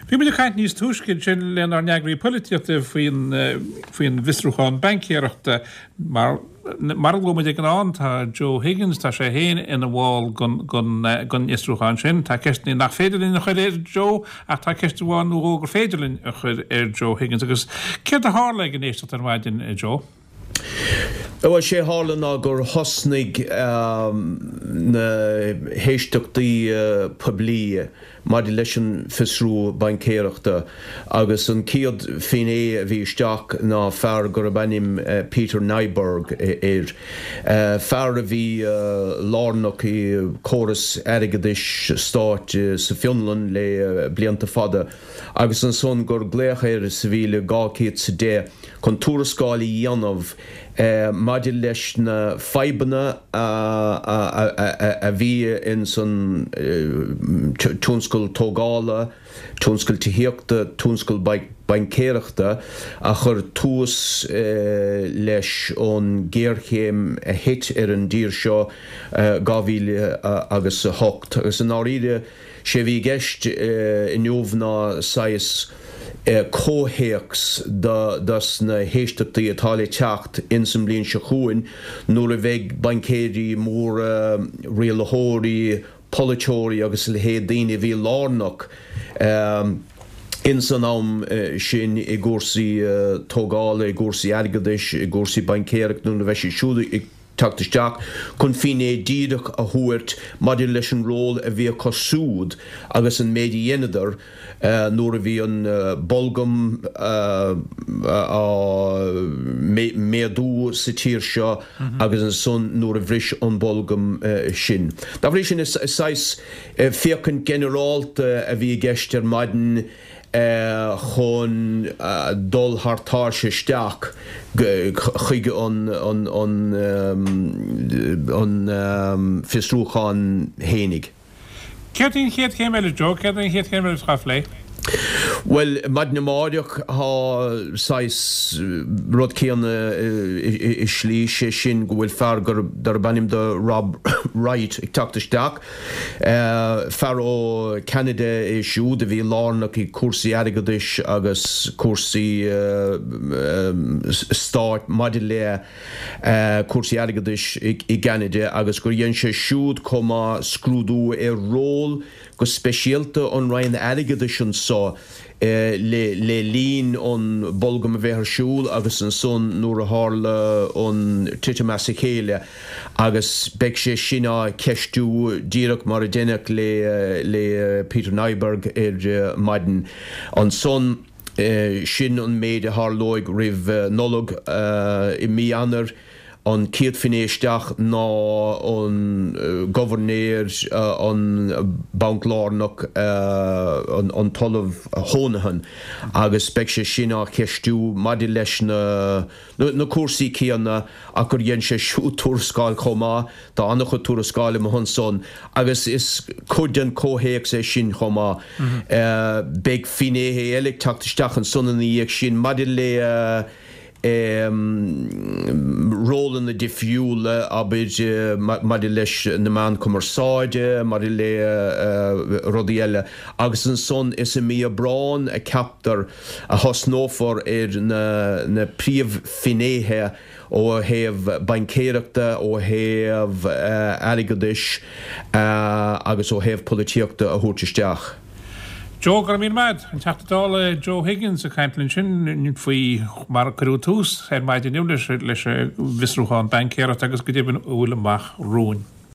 Bhí muid ag caint níos túisce ansin lenár n-eagraí polaitíochta faoin faoin bhfiosrúchán baincéireachta. Mar mar a luaigh muid ag an am, tá Joe Higgins, tá sé féin ina bhall den den den fhiosrúchán sin. Tá ceisteanna nach féidir linn a chur ar Joe ach tá ceist amháin nó dhó gur féidir linn a chur ar Joe Higgins. Agus céard a tharla ag an éisteacht ar maidin, a Joe? Bhuel, sé a tharla ná gur thosnaigh na héisteachtaí poiblí maidir leis an bhfiosrú baincéireachta agus an chéad finné a bhí isteach ná fear gurb ainm Peter Nyberg air, fear a bhí lárnach i córas airgeadais stáit sa Fionlainn le blianta fada. agus ansan gur glaodh air sa 1210 chun tuarascáil a dhéanamh maidir leis na fadhbanna a bhí ins an tionscal tógála, tionscal tithíochta, tionscal baincéireachta a chuir tús leis an ghéarchéim a thit ar an dtír seo 2008. Agus i ndáiríre, Sé a bhí i gceist inniu ná saghas comhthéacs dos na héisteachtaí atá le teacht ins an mbliain seo chugainn nuair a bheidh baincéirí móra, rialaitheoirí, polaiteoirí agus a leithéid, daoine a bhí lárnach ins an am sin i gcúrsaí tógála, i gcúrsaí airgeadais, i gcúrsaí baincéireachta, nuair a bheidh siad siúd ag teacht isteach chun finné díreach a thabhairt maidir leis an ról a bhí acu siúd agus an méid a dheineadar nuair a bhí an bolgam á méadú sa tír seo agus ansan nuair a bhris an bolgam sin. Dá bhrí sin, is saghas féachaint ginearálta a bhí i gceist ar maidin. chun dul thar tairse isteach chuig an fiosrúchán fhéinig. Céard í an chéad chéim eile, Joe? Céard í an chéad chéim eile atá á phlé? Bhuel, maidin amáireach tá saghas rud céanna i slí, sé sin go bhfuil fear darb ainm do Rob Wright ag teacht isteach. Fear ó Ceanada é siúd a bhí lárnach i cúrsaí airgeadais agus cúrsaí stáit maidir le cúrsaí airgeadais i gCeanada agus gur dhein sé siúd chomh maith scrúdú ar ról go speisialta an Roinn Airgeadais anso le linn an bolgam a bheith ar siúl agus ansan nuair a tharla an titim as a chéile agus beidh sé sin á cheistiú díreach mar a deineadh le Peter Nyberg ar maidin. Ansan, sin an méid a tharlóidh roimh Nollaig i mí Eanáir. An chéad finné isteach ná an Gobharnéir an Banc Lárnach, an tOllamh Honohan, agus beidh sé sin á cheistiú maidir leis na cúrsaí céanna ach gur dhein sé siúd tuarascáil chomh maith, tá an-chuid tuarascáil amuigh ansan agus is cuid den chomhthéacs é sin chomh maith. Beidh finnéithe eile ag teacht isteach ansan ina dhiaidh sin maidir le rólanna difriúla, abair, maidir leis na meáin chumarsáide, maidir le rudaí eile. Agus ansan is i mí Aibreáin a ceaptar a thosnófar ar na príomhfhinnéithe ó thaobh baincéireachta, ó thaobh airgeadais agus ó thaobh polaitíochta a thabhairt isteach. Joe, Go raibh míle maith agat. An Teachta Dála Joe Higgins ag caint linn ansin faoi mar a cuireadh tús ar maidin inniu leis an bhfiosrúchán baincéireachta agus go deimhin a bhfuil amach romhainn.